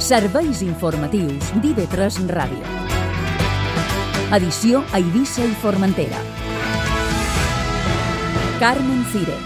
Serveis informatius d'IV3 Ràdio. Edició a Eivissa i Formentera. Carmen Cires.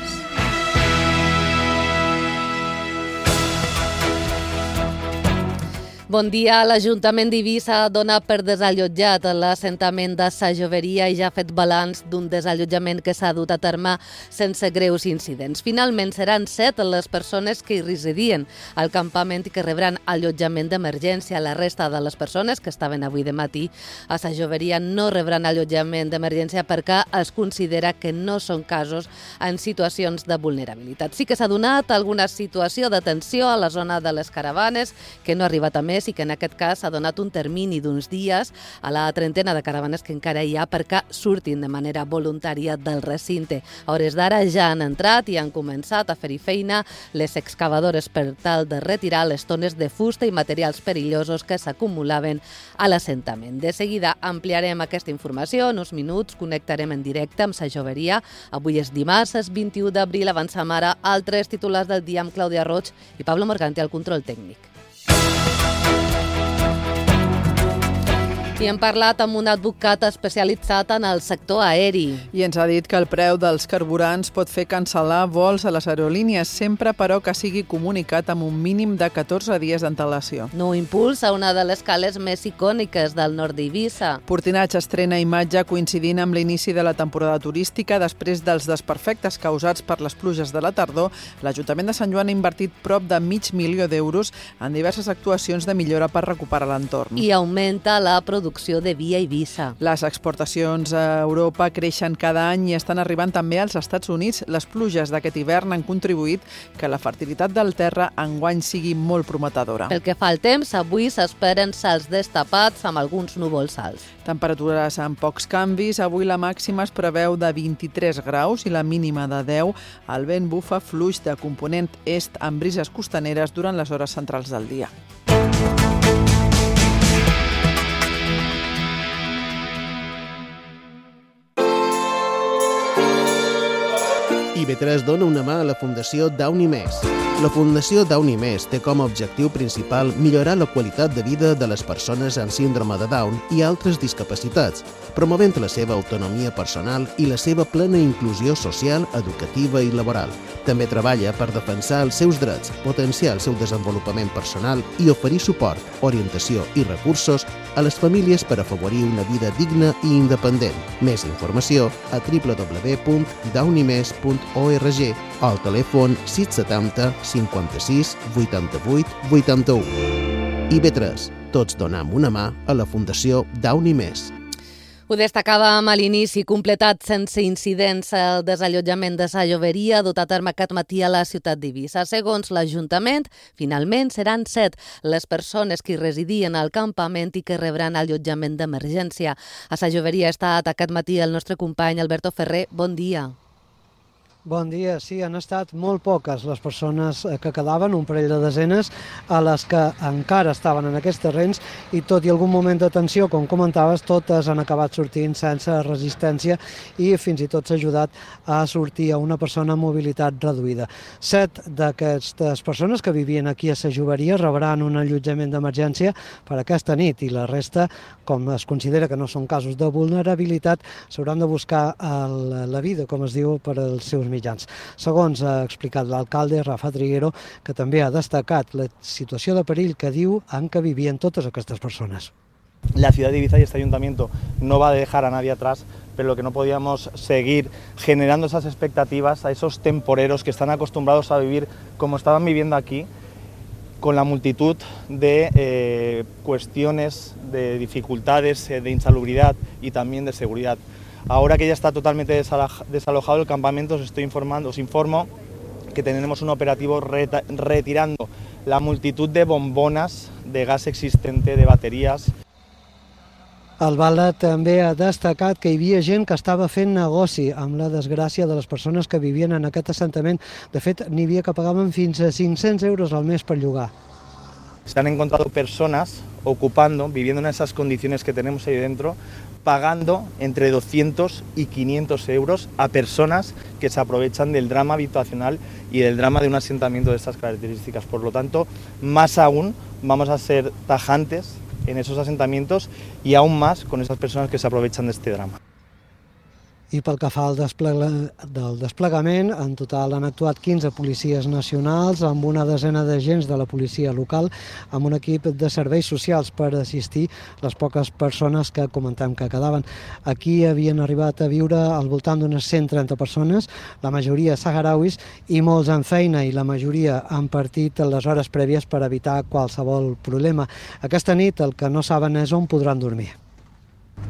Bon dia. L'Ajuntament d'Eivissa dona per desallotjat l'assentament de Sa Joveria i ja ha fet balanç d'un desallotjament que s'ha dut a terme sense greus incidents. Finalment seran 7 les persones que hi residien al campament i que rebran allotjament d'emergència. La resta de les persones que estaven avui de matí a Sa Joveria no rebran allotjament d'emergència perquè es considera que no són casos en situacions de vulnerabilitat. Sí que s'ha donat alguna situació de tensió a la zona de les caravanes que no ha arribat a més i que en aquest cas s'ha donat un termini d'uns dies a la trentena de caravanes que encara hi ha perquè surtin de manera voluntària del recinte. A hores d'ara ja han entrat i han començat a fer-hi feina les excavadores per tal de retirar les tones de fusta i materials perillosos que s'acumulaven a l'assentament. De seguida ampliarem aquesta informació. En uns minuts connectarem en directe amb Sa Joveria. Avui és dimarts, és 21 d'abril. Avancem ara altres titulars del dia amb Clàudia Roig i Pablo Morgante al control tècnic. I hem parlat amb un advocat especialitzat en el sector aeri. I ens ha dit que el preu dels carburants pot fer cancel·lar vols a les aerolínies, sempre però que sigui comunicat amb un mínim de 14 dies d'antelació. Nou impuls a una de les cales més icòniques del nord d'Eivissa. Portinatge estrena imatge coincidint amb l'inici de la temporada turística. Després dels desperfectes causats per les pluges de la tardor, l'Ajuntament de Sant Joan ha invertit prop de $500.000 d'euros en diverses actuacions de millora per recuperar l'entorn. I augmenta la producció de vi a Eivissa. Les exportacions a Europa creixen cada any i estan arribant també als Estats Units. Les pluges d'aquest hivern han contribuït que la fertilitat del terra enguany sigui molt prometedora. Pel que fa al temps, avui s'esperen cels destapats amb alguns núvols alts. Temperatures amb pocs canvis. Avui la màxima es preveu de 23 graus i la mínima de 10. El vent bufa fluix de component est amb brises costaneres durant les hores centrals del dia. IV3 dona una mà a la Fundació Downy Més. La Fundació Downy Més té com a objectiu principal millorar la qualitat de vida de les persones amb síndrome de Down i altres discapacitats, promovent la seva autonomia personal i la seva plena inclusió social, educativa i laboral. També treballa per defensar els seus drets, potenciar el seu desenvolupament personal i oferir suport, orientació i recursos a les famílies per afavorir una vida digna i independent. Més informació a www.downymes.org o al telèfon 670 56 88 81. IV3. Tots donem una mà a la Fundació Downy Més. Ho destacàvem a l'inici, completat sense incidents el desallotjament de Sa Joveria dut a terme aquest matí a la ciutat d'Eivissa. Segons l'Ajuntament, finalment seran 7 les persones que hi residien al campament i que rebran allotjament d'emergència. A Sa Joveria ha estat aquest matí el nostre company Alberto Ferrer. Bon dia. Bon dia. Sí, han estat molt poques les persones que quedaven, un parell de desenes, a les que encara estaven en aquests terrenys i tot i algun moment de tensió, com comentaves, totes han acabat sortint sense resistència i fins i tot s'ha ajudat a sortir a una persona amb mobilitat reduïda. 7 d'aquestes persones que vivien aquí a Sa Joveria rebran un allotjament d'emergència per aquesta nit i la resta, com es considera que no són casos de vulnerabilitat, s'hauran de buscar la vida, com es diu, per als seus mitjans. Segons ha explicat l'alcalde Rafa Triguero, que també ha destacat la situació de perill que diu en què vivien totes aquestes persones. La ciudad de Eivissa y este ayuntamiento no va a dejar a nadie atrás, pero lo que no podíamos seguir generando esas expectativas a esos temporeros que están acostumbrados a vivir como estaban viviendo aquí, con la multitud de cuestiones, de dificultades, de insalubridad y también de seguridad. Ahora que ya está totalmente desalojado el campamento, os informo que tenemos un operativo retirando la multitud de bombonas de gas existente, de baterías. El Bala també ha destacat que hi havia gent que estava fent negoci amb la desgràcia de les persones que vivien en aquest assentament. De fet, n'hi havia que pagaven fins a 500 euros al mes per llogar. Se han encontrado personas ocupando, viviendo en esas condiciones que tenemos ahí dentro, pagando entre 200 y 500 euros a personas que se aprovechan del drama habitacional y del drama de un asentamiento de estas características. Por lo tanto, más aún vamos a ser tajantes en esos asentamientos y aún más con esas personas que se aprovechan de este drama. I pel que fa al desplegament, en total han actuat 15 policies nacionals amb una desena d'agents de la policia local amb un equip de serveis socials per assistir les poques persones que comentem que quedaven. Aquí havien arribat a viure al voltant d'unes 130 persones, la majoria saharauis i molts en feina i la majoria han partit les hores prèvies per evitar qualsevol problema. Aquesta nit el que no saben és on podran dormir.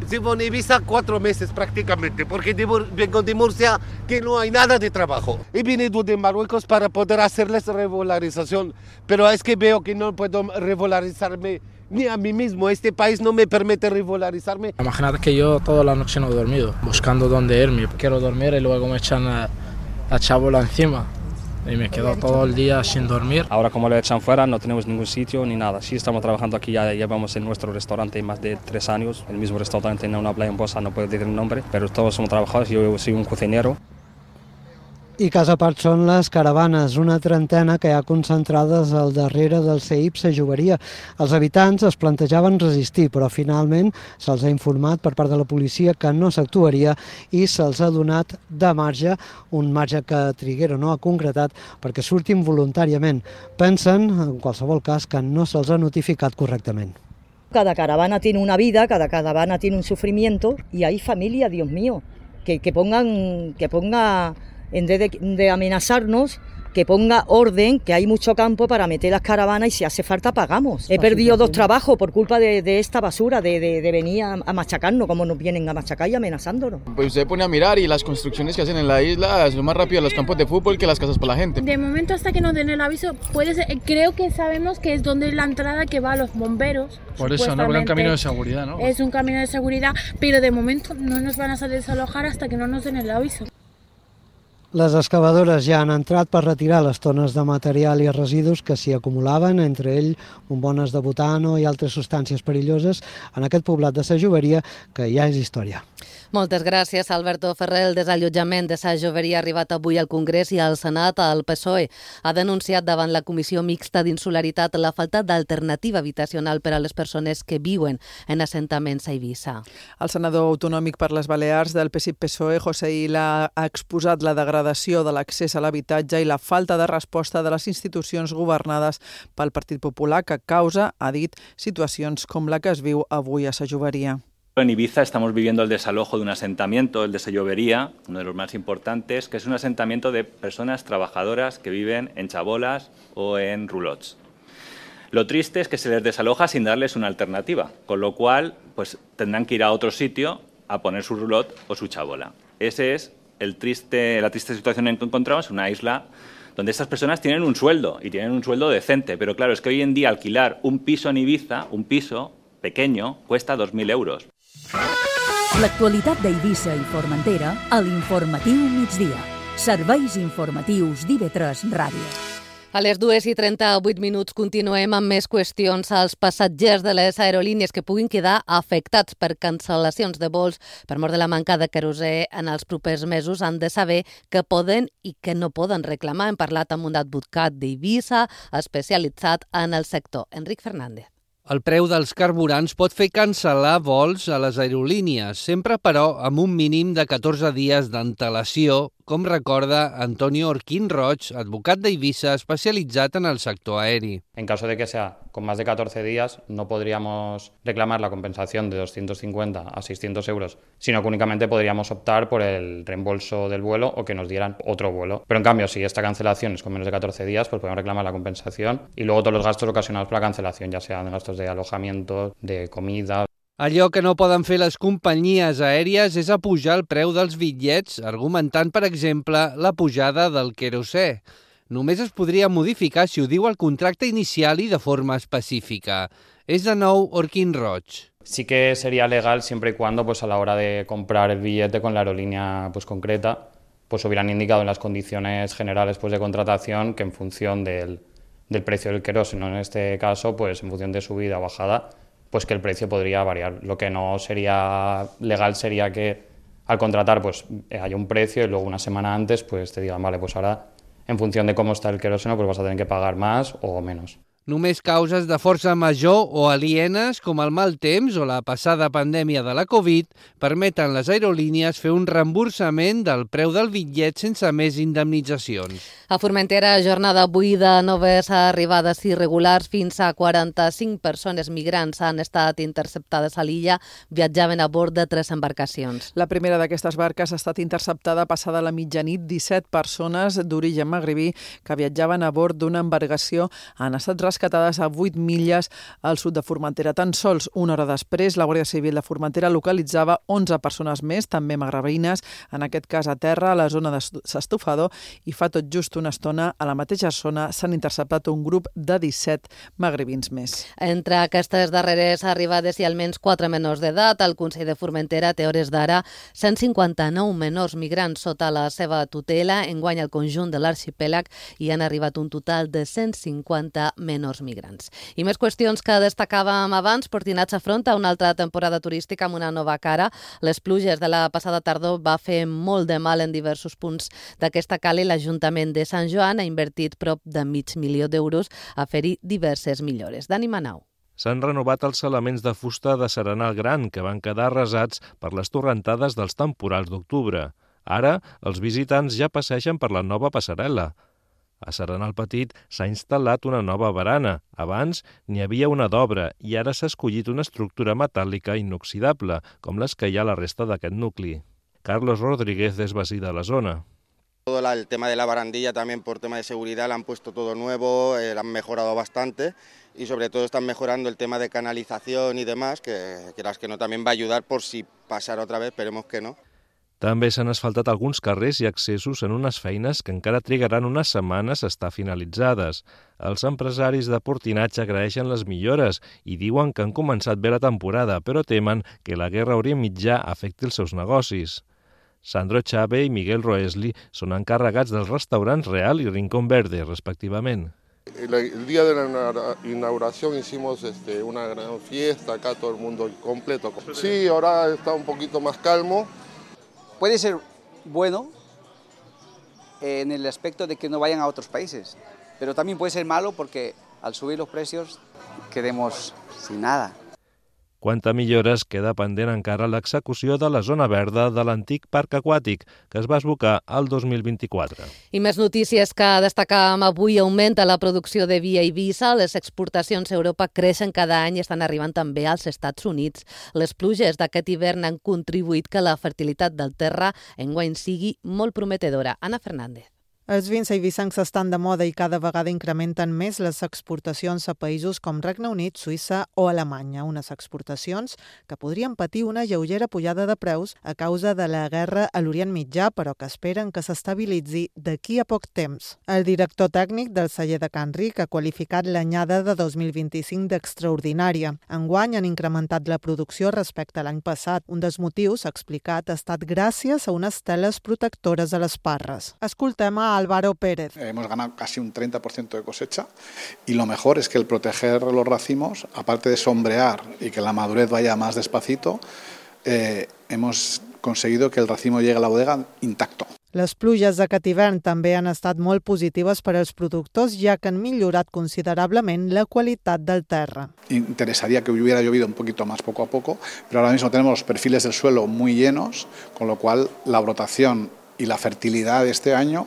Llevo en Ibiza 4 meses prácticamente, porque vengo de Murcia, que no hay nada de trabajo. He venido de Marruecos para poder hacerles regularización, pero es que veo que no puedo regularizarme ni a mí mismo. Este país no me permite regularizarme. Imagínate que yo toda la noche no he dormido, buscando dónde irme. Quiero dormir y luego me echan la chabola encima. Y me quedo todo el día sin dormir. Ahora como lo echan fuera no tenemos ningún sitio ni nada. Sí estamos trabajando aquí, ya llevamos en nuestro restaurante más de 3 años. El mismo restaurante en una playa en Bossa, no puedo decir el nombre, pero todos somos trabajadores, yo soy un cocinero. I cas a part són les caravanes, una trentena que hi ha concentrades al darrere del CEIP Sa Joveria. Els habitants es plantejaven resistir, però finalment se'ls ha informat per part de la policia que no s'actuaria i se'ls ha donat de marge, un marge que Triguero no ha concretat perquè surtin voluntàriament. Pensen, en qualsevol cas, que no se'ls ha notificat correctament. Cada caravana tiene una vida, cada caravana tiene un sufrimiento y hay familia, Dios mío, que ponga en vez de amenazarnos, que ponga orden, que hay mucho campo para meter las caravanas y si hace falta pagamos. He perdido 2 trabajos por culpa de esta basura, de venir a machacarnos, como nos vienen a machacar y amenazándonos. Pues usted pone a mirar y las construcciones que hacen en la isla son más rápido los campos de fútbol que las casas para la gente. De momento hasta que nos den el aviso, puede ser, creo que sabemos que es donde es la entrada que va a los bomberos. Por eso, no, un camino de seguridad, ¿no? Es un camino de seguridad, pero de momento no nos van a desalojar hasta que no nos den el aviso. Les excavadores ja han entrat per retirar les tones de material i residus que s'hi acumulaven, entre ell bombones de butano i altres substàncies perilloses, en aquest poblat de Sa Joveria, que ja és història. Moltes gràcies, Alberto Ferrer. El desallotjament de Sa Joveria ha arribat avui al Congrés i al Senat. El PSOE ha denunciat davant la Comissió Mixta d'Insularitat la falta d'alternativa habitacional per a les persones que viuen en assentaments a Eivissa. El senador autonòmic per les Balears del PSC-PSOE, José Illa, ha exposat la degradació de l'accés a l'habitatge i la falta de resposta de les institucions governades pel Partit Popular que causa, ha dit, situacions com la que es viu avui a Sa Joveria. En Ibiza estamos viviendo el desalojo de un asentamiento, el de Sa Joveria, uno de los más importantes, que es un asentamiento de personas trabajadoras que viven en chabolas o en roulots. Lo triste es que se les desaloja sin darles una alternativa, con lo cual pues, tendrán que ir a otro sitio a poner su roulotte o su chabola. Ese es la triste situación en que encontramos, una isla donde estas personas tienen un sueldo y tienen un sueldo decente, pero claro, es que hoy en día alquilar un piso en Ibiza, un piso pequeño, cuesta 2.000 euros. L'actualitat d'Eivissa i Formentera a l'Informatiu Migdia. Serveis informatius d'IV3 Ràdio. A les 2:38 continuem amb més qüestions. Els passatgers de les aerolínies que puguin quedar afectats per cancel·lacions de vols per mort de la manca de querosè en els propers mesos han de saber què poden i què no poden reclamar. Hem parlat amb un advocat d'Eivissa especialitzat en el sector, Enric Fernández. El preu dels carburants pot fer cancel·lar vols a les aerolínies, sempre però amb un mínim de 14 dies d'antelació, com recorda Antonio Orquín Roig, advocat d'Eivissa especialitzat en el sector aeri. En caso de que sea con más de 14 días, no podríamos reclamar la compensación de 250 a 600 euros, sino que únicamente podríamos optar por el reembolso del vuelo o que nos dieran otro vuelo. Pero en cambio, si esta cancelación es con menos de 14 días, pues podemos reclamar la compensación y luego todos los gastos ocasionados por la cancelación, ya sean gastos de alojamiento, de comida. Allò que no poden fer les companyies aèries és apujar el preu dels bitllets, argumentant, per exemple, la pujada del querosè. Només es podria modificar si ho diu el contracte inicial i de forma específica. És de nou Orquín Roig. Sí que sería legal siempre y cuando pues, a la hora de comprar el billete con la aerolínea pues, concreta pues hubieran indicado en las condiciones generales pues, de contratación que en función del precio del queroseno, en este caso, pues en función de subida o bajada, pues que el precio podría variar. Lo que no sería legal sería que al contratar pues haya un precio y luego una semana antes pues te digan, vale, pues ahora en función de cómo está el queroseno pues vas a tener que pagar más o menos. Només causes de força major o alienes, com el mal temps o la passada pandèmia de la Covid, permeten les aerolínies fer un reemborsament del preu del bitllet sense més indemnitzacions. A Formentera, jornada avui de noves arribades irregulars. Fins a 45 persones migrants han estat interceptades a l'illa. Viatjaven a bord de 3 embarcacions. La primera d'aquestes barques ha estat interceptada passada la mitjanit. 17 persones d'origen magribí que viatjaven a bord d'una embarcació han estat rescatades a 8 milles al sud de Formentera. Tan sols una hora després, la Guàrdia Civil de Formentera localitzava 11 persones més, també magrebines, en aquest cas a terra, a la zona de s'Estofador, i fa tot just una estona, a la mateixa zona, s'han interceptat un grup de 17 magrebins més. Entre aquestes darreres arribades hi ha almenys 4 menors d'edat. El Consell de Formentera té hores d'ara 159 menors migrants sota la seva tutela. Enguany al conjunt de l'arxipèlag hi han arribat un total de 150 menors migrants. I més qüestions que destacàvem abans. Portinats afronta una altra temporada turística amb una nova cara. Les pluges de la passada tardor va fer molt de mal en diversos punts d'aquesta cala i l'Ajuntament de Sant Joan ha invertit prop de $500,000 a fer-hi diverses millores. Dani Manau. S'han renovat els elements de fusta de Serenal Gran, que van quedar arrasats per les torrentades dels temporals d'octubre. Ara, els visitants ja passegen per la nova passarel·la. A Serenal Petit s'ha instal·lat una nova barana. Abans n'hi havia una d'obra i ara s'ha escollit una estructura metàl·lica inoxidable, com les que hi ha a la resta d'aquest nucli. Carlos Rodríguez és vecí de la zona. Todo el tema de la barandilla también por tema de seguridad le han puesto todo nuevo, han mejorado bastante y sobre todo están mejorando el tema de canalización y demás, que quieras que no también va a ayudar por si pasara otra vez, esperemos que no. També s'han asfaltat alguns carrers i accessos en unes feines que encara trigaran unes setmanes a estar finalitzades. Els empresaris de Portinatge agraeixen les millores i diuen que han començat bé la temporada, però temen que la guerra a Orient Mitjà afecti els seus negocis. Sandro Chave i Miguel Roesli són encarregats dels restaurants Real i Rincón Verde, respectivament. El día de la inauguración hicimos una gran fiesta, acá todo el mundo completo. Sí, ahora está un poquito más calmo. Puede ser bueno en el aspecto de que no vayan a otros países, pero también puede ser malo porque al subir los precios quedemos sin nada. Quant a millores, queda pendent encara l'execució de la zona verda de l'antic parc aquàtic, que es va esbocar al 2024. I més notícies que destacàvem avui. Augmenta la producció de vi a Eivissa. Les exportacions a Europa creixen cada any i estan arribant també als Estats Units. Les pluges d'aquest hivern han contribuït que la fertilitat del terra enguany sigui molt prometedora. Anna Fernández. Els vins eivissencs estan de moda i cada vegada incrementen més les exportacions a països com Regne Unit, Suïssa o Alemanya. Unes exportacions que podrien patir una lleugera pujada de preus a causa de la guerra a l'Orient Mitjà, però que esperen que s'estabilitzi d'aquí a poc temps. El director tècnic del celler de Can Ric ha qualificat l'anyada de 2025 d'extraordinària. Enguany han incrementat la producció respecte a l'any passat. Un dels motius, ha explicat, ha estat gràcies a unes teles protectores a les parres. Escoltem a Álvaro Pérez. Hemos ganado casi un 30% de cosecha y lo mejor es que el proteger los racimos, aparte de sombrear y que la madurez vaya más despacito, hemos conseguido que el racimo llegue a la bodega intacto. Les pluges d'aquest hivern també han estat molt positives per als productors, ja que han millorat considerablement la qualitat del terra. Interesaría que hubiera llovido un poquito más poco a poco, pero ahora mismo tenemos los perfiles del suelo muy llenos, con lo cual la brotación y la fertilidad de este año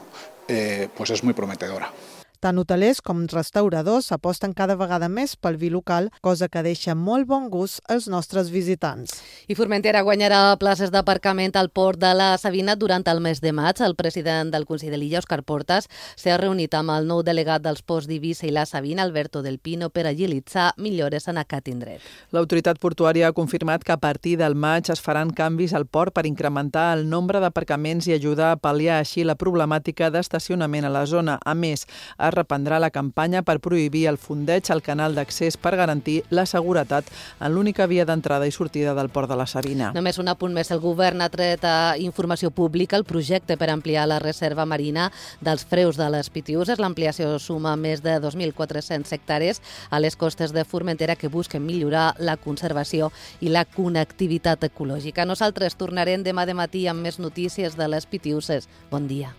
pues es muy prometedora. Tant hotelers com restauradors aposten cada vegada més pel vi local, cosa que deixa molt bon gust als nostres visitants. I Formentera guanyarà places d'aparcament al port de la Sabina durant el mes de maig. El president del Consell de l'Illa, Òscar Portas, s'ha reunit amb el nou delegat dels ports d'Eivissa i la Sabina, Alberto del Pino, per agilitzar millores en aquest indret. L'autoritat portuària ha confirmat que a partir del maig es faran canvis al port per incrementar el nombre d'aparcaments i ajudar a pal·liar així la problemàtica d'estacionament a la zona. A més, es reprendrà la campanya per prohibir el fondeig al canal d'accés per garantir la seguretat en l'única via d'entrada i sortida del port de la Sabina. Només un apunt més. El govern ha tret a informació pública el projecte per ampliar la reserva marina dels freus de les Pitiuses. L'ampliació suma més de 2.400 hectàrees a les costes de Formentera que busquen millorar la conservació i la connectivitat ecològica. Nosaltres tornarem demà de matí amb més notícies de les Pitiuses. Bon dia.